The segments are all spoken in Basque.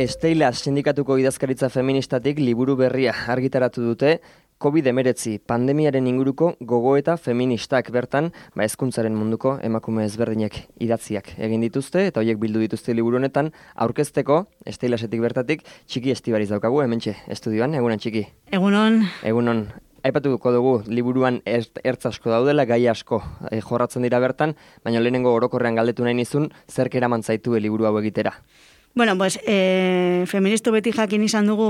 Esteila sindikatuko idazkaritza feministatik liburu berria argitaratu dute COVID-19 pandemiaren inguruko gogoeta feministak bertan, hezkuntzaren munduko emakume ezberdinek idatziak egin dituzte eta horiek bildu dituzte liburu honetan aurkezteko Esteilasetik bertatik Txiki Estibariz daukagu hementxe estudioan. Egunon Txiki. Egunon. Egunon. Aipatuko dugu liburuan ertz asko daudela, gai asko jorratzen dira bertan, baina lehenengo orokorrean galdetu nahi nizun zerk eraman zaitu liburu hau egitera. Bueno, pues, feministo beti jakin izan dugu,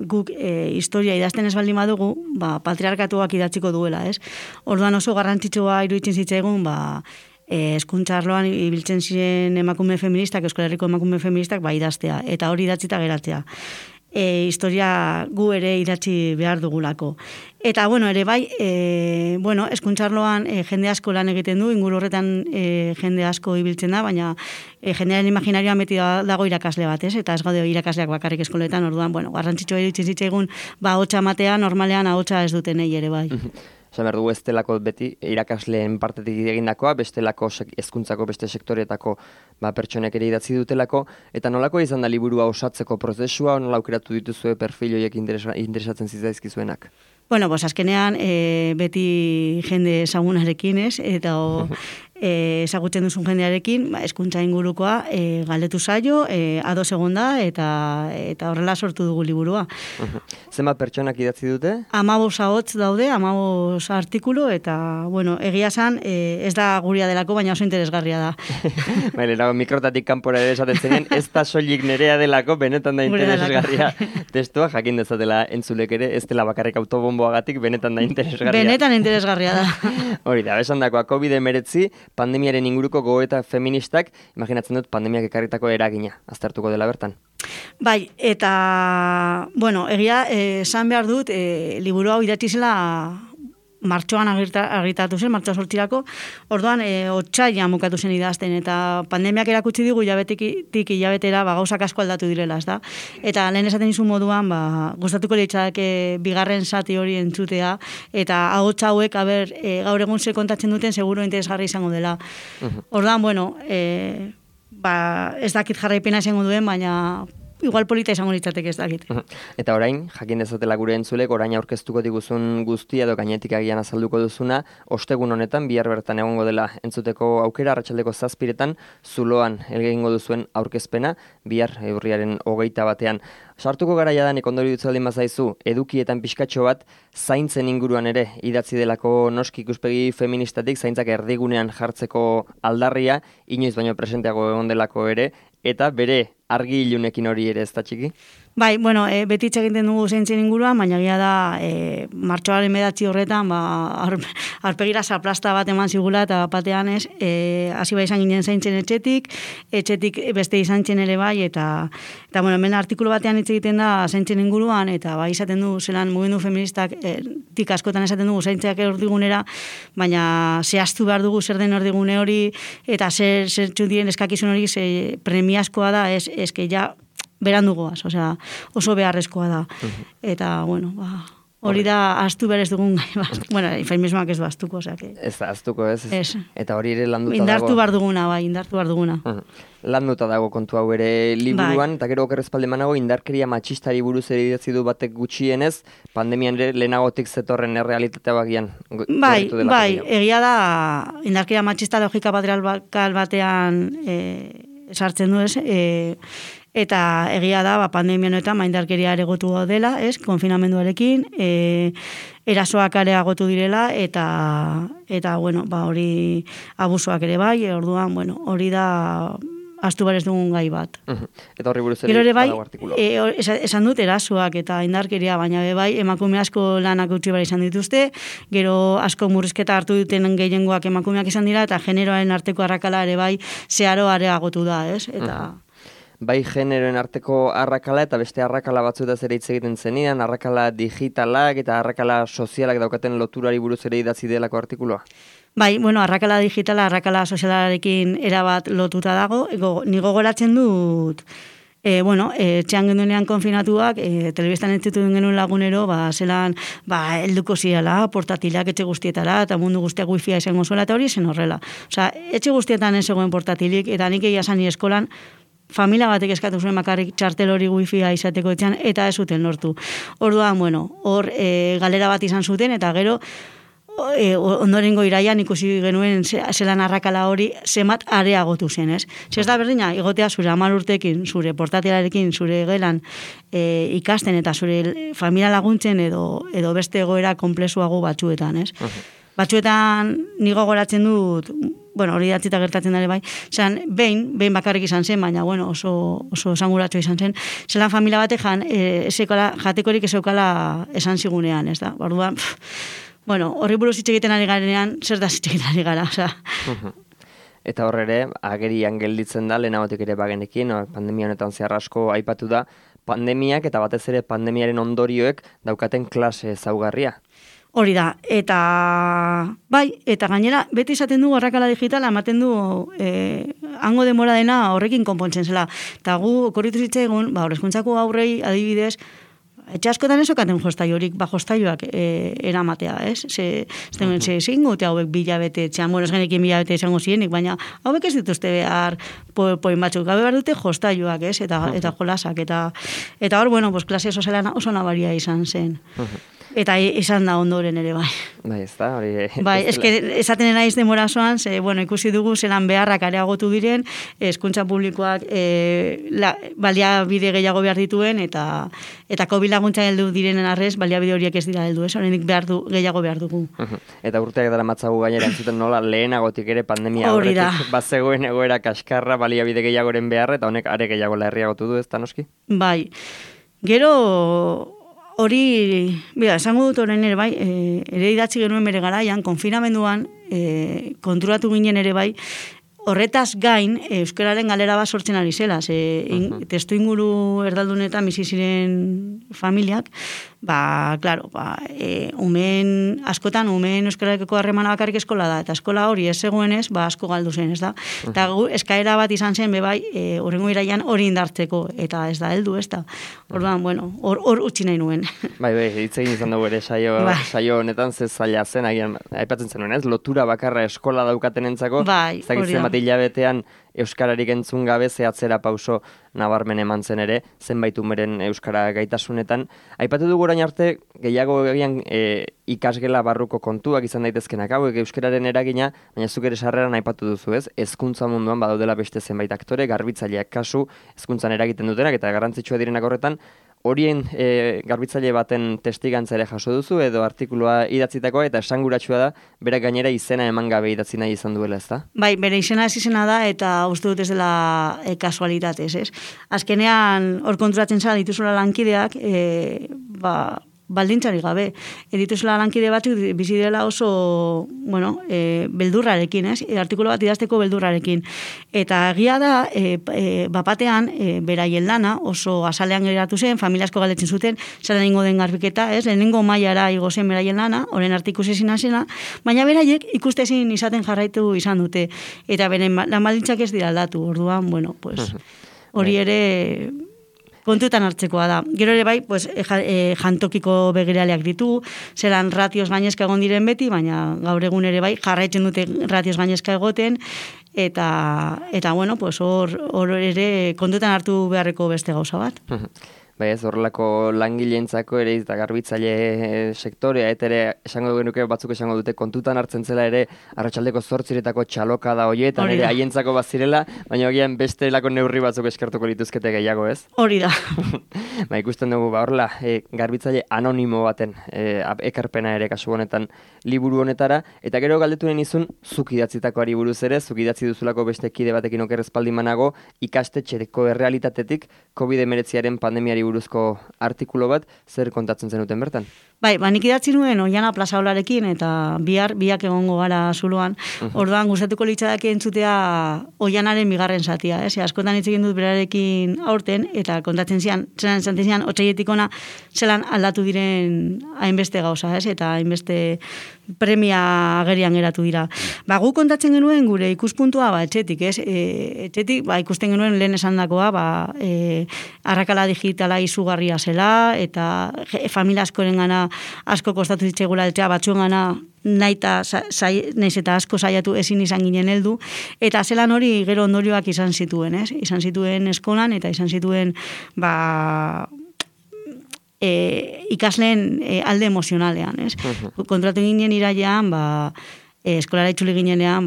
guk historia idazten ez baldin badugu, patriarkatuak idatziko duela, ez? Orduan oso garrantzitsua iruditzen zitzaigun, hezkuntza arloan ibiltzen ziren emakume feministak, Euskal Herriko emakume feministak, idaztea, eta hori idatzita geratzea. Historia gu ere idatzi behar dugulako. Eta, ere bai, hezkuntza arloan jende asko lan egiten du, inguru horretan jende asko ibiltzen da, baina jendearen imaginarioan beti dago irakasle bat, ez? Eta ez gaude irakasleak bakarrik eskoletan, orduan, garrantzitsua iruditzen zitzaigun, ahotsa matea, normalean ahotsa ez dutenei ere bai. Esan behar dugu ez delako beti irakasleen partetik egindakoa, bestelako hezkuntzako beste sektoreetako pertsonek ere idatzi dutelako, eta nolako izan da liburua osatzeko prozesua, nola aukeratu dituzue perfil horiek interesatzen zitzaizkizuenak? Azkenean beti jende ezagunarekin, ez? Eta ezagutzen duzun jendearekin, hezkuntza ingurukoa galdetu zaio, ados egon da, eta horrela sortu dugu liburua. Zenbat pertsonak idatzi dute? 15 ahots daude, 15 artikulu, eta, egia esan, ez da guria delako, baina oso interesgarria da. Nago, mikrotatik kanpora ere esaten zenien, ez da soilik nerea delako, benetan da interesgarria testua, jakin dezatela entzulek ere, ez dela bakarrik autobomboagatik, benetan da interesgarria. Benetan interesgarria da. Hori da, esan dakoa, COVID-19, pandemiaren inguruko gogoeta feministak, imaginatzen dut pandemiak ekarritako eragina, aztertuko dela bertan. Bai, eta, egia, esan behar dut, liburu hau idatzi zela martxoan argitaratu zen, martxoa sortzirako, orduan, otsailean bukatu zen idazten, eta pandemiak erakutsi digu hilabetetik hilabetera gauzak asko aldatu direla, ez da? Eta lehen esaten izun moduan, gustatuko litzake bigarren zati hori entzutea, eta ahots hauek, gaur egun ze kontatzen duten, seguro interesgarri izango dela. Orduan, ez dakit jarraipena izango duen, baina igual polita izango litzateke ez dakit. Eta orain, jakin dezatela gure entzulek, orain aurkeztuko diguzun guztia edo gainetik agian azalduko duzuna, ostegun honetan, bihar bertan egongo dela entzuteko aukera, arratsaldeko 7:00 Zuloan egingo duzuen aurkezpena, bihar urriaren 21. Sartuko gara jadanik ondori dutzaldin bazaizu, edukietan pixkatxo bat, zaintzen inguruan ere idatzi delako noski ikuspegi feministatik, zaintzak erdigunean jartzeko aldarria, inoiz baino presenteago egon delako ere, eta bere argi ilunekin hori ere ez da Txiki? Bai, beti egiten dugu zaintzen inguruan, baina gira da martxoaren 9 horretan, aurpegira zaplasta bat eman zigula, eta batean ez, hasi bai izan ginen zaintzen etxetik beste izan zen ere bai, eta hemen artikulu batean hitz egiten da zaintzen inguruan, eta bai izaten du, zelan mugimendu feministak, tik askotan esaten dugu zaintzeak erdigunera, baina zehaztu behar dugu zer den erdigune hori, eta zer txudien eskakizun hori premiazkoa da, eske ja berandu goaz, oso beharrezkoa da. Eta, hori da ahaztu behar ez dugun gai. Feminismoak ez du ahaztuko, Ez da ahaztuko, ez? Eta hori ere landuta dago. Indartu behar duguna. Landuta dago kontu hau ere liburuan, eta gero okerrezpaldemanago indarkeria matxistari buruz ere idatzi du batek gutxienez, pandemian ere lehenagotik zetorren errealitatea bagian. Bai, egia da indarkeria matxista logika patriarkal batean sartzen du, ez? Eta egia da, pandemia honetan indarkeria areagotu dela, ez? Konfinamenduarekin, erasoak areagotu direla, eta hori abusoak ere bai, orduan, hori da ahaztu behar ez dugun gai bat. Eta horri buruz ere badago artikulu. Esan dut erasoak eta indarkeria, baina bai emakume asko lanak utzi behar izan dituzte, gero asko murrizketa hartu duten gehiengoak emakumeak izan dira, eta generoaren arteko arrakala ere bai zeharo areagotu da, ez? Bai generoen arteko arrakala eta beste arrakala batzuetaz ere hitz egiten zenidan, arrakala digitalak eta arrakala sozialak daukaten loturari buruz ere idatzi delako artikulua? Bai, arrakala digitala, arrakala sozialarekin erabat lotuta dago. Ni gogoratzen dut, etxean genduenean konfinatuak, telebistan entzutun genuen lagunero, zelan, helduko ziala, portatilak etxe guztietara, eta mundu guztiak wifia izango zuela, eta hori zen horrela. Etxe guztietan ez zegoen portatilik, eta nik egia zani eskolan, familia batek eskatu zuen bakarrik txartel hori wifia izateko etxean, eta ez zuten lortu. Orduan, hor galera bat izan zuten, eta gero, ondorengo iraian ikusi genuen zelan arrakala hori zemat areagotu zen, ez? Ez da berdina, egotea zure 10 urtekin, zure portatilarekin, zure gelan ikasten eta zure familia laguntzen edo beste egoera konplexuago batzuetan, ez? Batzuetan nigo goratzen dut, hori datzita gertatzen dara bai, behin bakarrik izan zen, baina oso esanguratxo izan zen, zelan familia batek jatekorik ez eukala esan zigunean, ez da? Orduan, horri buruz hitz egiten ari garenean, zer da hitz egiten ari gara, oza. Eta horre ere, agerian gelditzen da, lehenagotik ere bagenekin, pandemia honetan zehar asko aipatu da, pandemiak eta batez ere pandemiaren ondorioek daukaten klase ezaugarria. Hori da, eta gainera, beti izaten du arrakala digitala, ematen du hango demora dena horrekin konpontzen zela. Eta gu, okorritu zitzaigun, horrezkuntzako aurrei adibidez, etxe askotan esokaten jostailorik, jostailoak eramatea, ez? Zein gote hauek bilabete etxean, ez genekin bilabete izango zienik, baina hauek ez dituzte behar poin batzuk, gabe behar dute jostailoak, ez? Eta jolasak, eta hor, klase oso nabaria izan zen. Eta izan da ondoren ere, bai. Bai, ez da, hori... Bai, esaten naiz denbora zoan, ikusi dugu zelan beharrak areagotu diren, hezkuntza publikoak baliabide gehiago behar dituen, eta COVID laguntza heldu direnen arrez, baliabide horiek ez dira heldu, ez? Horrenik gehiago behar dugu. Eta urteak dara matzagu gainera entzuten nola, lehenagotik ere pandemia horretik bazegoen egoera kaskarra baliabide gehiagoren beharra, eta honek are gehiago larriagotu du, ez da noski? Bai, gero... Hori, esango dut orain ere bai, ere idatzi genuen bere garaian, konfinamenduan, konturatu ginen ere bai, horretaz gain, euskararen galera bat sortzen ari zela, testu inguru erdaldunetan bizi ziren familiak, askotan euskararekeko harremana bakarrik eskola da, eta eskola hori ez zegoenez, asko galdu zen, ez da? Eta eskaera bat izan zen, bebai, horrengo iraian hori indartzeko, eta ez da heldu, ez da? Orduan, hor utzi nahi nuen. Bai, hitz egin izan dugu ere saio honetan ze zaila zen, agian, aipatzen zenuen, ez? Lotura bakarra eskola daukatenentzako, hilabetean euskararik entzun gabe zehatzera pauso nabarmen eman zen ere, zenbait umeren euskara gaitasunetan. Aipatu dugu orain arte, gehiago egian ikasgela barruko kontuak izan daitezkenak hauek euskararen eragina, baina zuk ere sarreran aipatu duzu, ez? Hezkuntza munduan badaudela beste zenbait aktore, garbitzaileak kasu, hezkuntzan eragiten dutenak eta garrantzitsua direnak horretan, horien garbitzaile baten testigantza ere jaso duzu edo artikulua idatzitakoa eta esanguratsua da, berak gainera izena eman gabe idatzi nahi izan duela, ez da? Bai, bere izena ez izena da eta uste dut ez dela kasualitatez, ez? Azkenean, hor konturatzen zara dituzula lankideak, baldintzari gabe. Dituzula lankide batzuk bizi dela oso, beldurrarekin, ez? Artikulu bat idazteko beldurrarekin. Eta egia da, bapatean, beraien lana oso azalean geratu zen, familiasko galdetzen zuten, zara ningo den garbiketa, ez? Lehenengo mailara igo zen beraien lana, horren artikusezin zena, baina beraiek ikustezin izaten jarraitu izan dute. Eta beren lan baldintzak ez dira aldatu, orduan, hori ere... kontutan hartzekoa da. Gero ere bai, jantokiko begiraleak ditu, zelan ratioz gainezka egon diren beti, baina gaur egun ere bai, jarraitzen dute ratioz gainezka egoten, eta hor ere kontutan hartu beharreko beste gauza bat. Bai ez, horrelako langileentzako ere eta garbitzaile sektorea, eta ere esango genuke batzuk esango dute kontutan hartzen zela ere arratsaldeko 8 txaloka da hoietan ere haientzako bazirela, baina agian beste lako neurri batzuk eskertuko lituzkete gehiago, ez? Hori da. Ikusten dugu, horrela, garbitzaile anonimo baten ekarpena ere kasu honetan liburu honetara, eta gero galdetunen izun zuk idatzitakoari buruz ere, zuk idatzi duzulako beste kide batekin oker espaldimanago, ikastetxeko errealitatetik COVID-19 pandemiari buruzko artikulu bat, zer kontatzen zenuten bertan? Bai, nik idatzi nuen Oiana Plazaolarekin eta biak egongo gara zuloan. Orduan gustatuko litzadake entzutea Oianaren bigarren zatia, ez? Askotan hitz egin dut berarekin aurten eta kontatzen zian, otsailetik ona zelan aldatu diren hainbeste gauza, ez? Eta hainbeste premia agerian geratu dira. Gu kontatzen genuen gure ikuspuntua etxetik, ez? Etxetik ikusten genuen lehen esandakoa, arrakala digitala izugarria zela eta familia askoren gana asko kostatu zitzaigula heltzea, batzuengana naiz eta asko saiatu ezin izan ginen heldu, eta zelan hori gero ondorioak izan zituen, ez? Izan zituen eskolan, eta izan zituen, ikasleen alde emozionalean, ez? Kontratu ginen irailean, eskolara itzuli ginenean,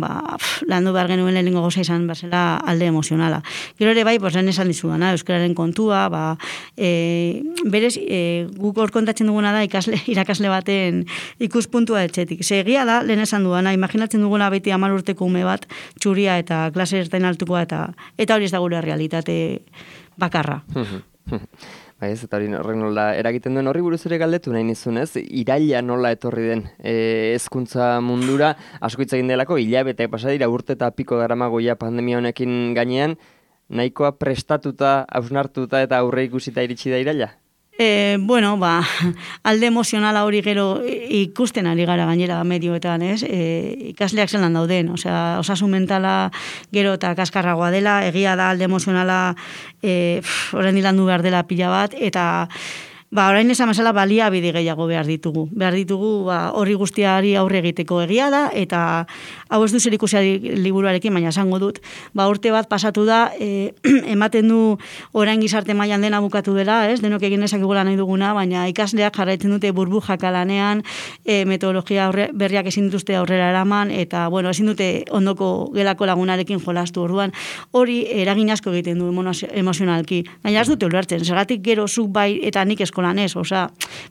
landu behar genuen lehenengo goza izan bezala alde emozionala. Gero ere bai, lehen esan dizudana, euskararen kontua, berez, guk hor kontatzen duguna da irakasle baten ikuspuntua etxetik. Egia da, lehen esan duana, imaginatzen duguna beti 10 urteko ume bat, txuria eta klase ertain altukoa, eta hori ez da gure realitate bakarra. Eta hori horrek nola eragiten duen horri buruz ere galdetu nahi nizunez, iraila nola etorri den hezkuntza mundura, asko hitz egin delako, hilabete pasa dira, urte eta piko daramagoia pandemia honekin gainean, nahikoa prestatuta, hausnartuta eta aurre ikusita iritsi da iraila? Alde emozionala hori gero ikusten ari gara gainera medioetan, ez? Ikasleak zelan dauden, osasun mentala gero eta kaskarragoa dela, egia da alde emozionala orain dilandu behar dela pila bat, eta orain esan bezala baliabide gehiago behar ditugu. Behar ditugu horri guztiari aurre egiteko egia da, eta hau ez du zerikusia liburuarekin, baina esango dut, urte bat pasatu da, ematen du orain gizarte mailan dena bukatu dela, ez? Denok egin ezakigula nahi duguna, baina ikasleak jarraitzen dute burbujaka lanean, metodologia berriak ezin dituzte aurrera eraman, eta ezin dute ondoko gelako lagunarekin jolastu orduan, hori eragin asko egiten du emozionalki. Baina ez dute ulertzen, zergatik gero zuk bai eta nik eskolan ez,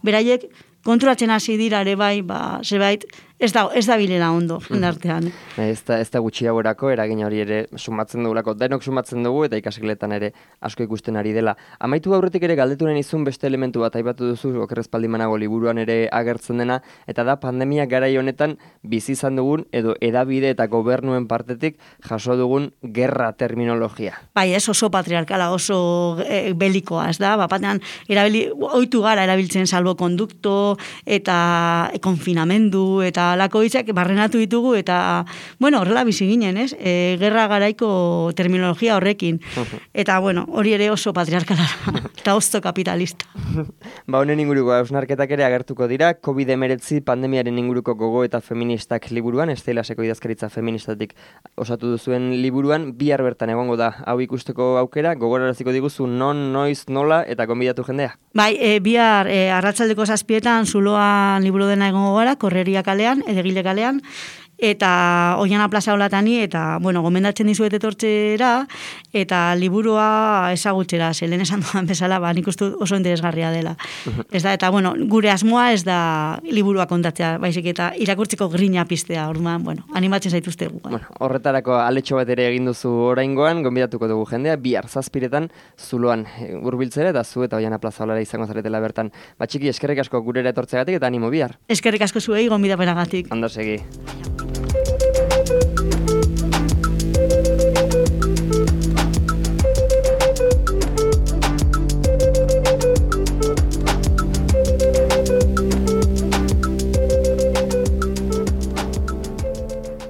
beraiek konturatzen hasi dira ere bai, zerbait ez da bilela ondo jendartean. Ez da gutxi hauerako, eragin hori ere sumatzen dugulako, denok sumatzen dugu eta ikasgeletan ere asko ikusten ari dela. Amaitu aurretik ere galdetu nahi nizun beste elementu bat aipatu duzu, okerrez paldimanago liburuan ere agertzen dena, eta da pandemia garai honetan bizi izan dugun edo edabide eta gobernuen partetik jaso dugun gerra terminologia. Bai, ez oso patriarkala, oso belikoa, ez da? Batean ohitu gara erabiltzen salbokondukto eta konfinamendu eta lako hitzak barrenatu ditugu eta, horrela bizi ginen, ez? Gerra garaiko terminologia horrekin. Eta, hori ere oso patriarkala eta oso kapitalista. Honen inguruko hausnarketak ere agertuko dira, COVID-19 pandemiaren inguruko gogo eta feministak liburuan, Estelaseko idazkaritza feministatik osatu duzuen liburuan, bihar bertan egongo da hau ikusteko aukera, gogoraraziko diguzu non, noiz, nola eta gonbidatu jendea. Bai, bihar arratsaldeko 7:00 Zuloan liburu dena egongo gara, Korreria kalean, Edegile kalean, eta Oiana plaza holatani, eta, gomendatzen dizuet etortzera, eta liburua ezagutzera, lehen esan dudan bezala, nik uste oso interesgarria dela. Ez da, eta, gure asmoa ez da liburua kontatzea, baizik eta irakurtzeko grina piztea, orduan, animatzen zaituztegu. Horretarako aletxo bat ere egin duzu oraingoan, gonbidatuko dugu jendea, bihar 7:00 Zuloan hurbiltzera, eta zu eta Oiana plaza holara izango zaretela bertan. Txiki, eskerrik asko gurera etortzegatik eta animo bihar. Eskerrik asko zuei gonbidapenagatik. Ondo segi.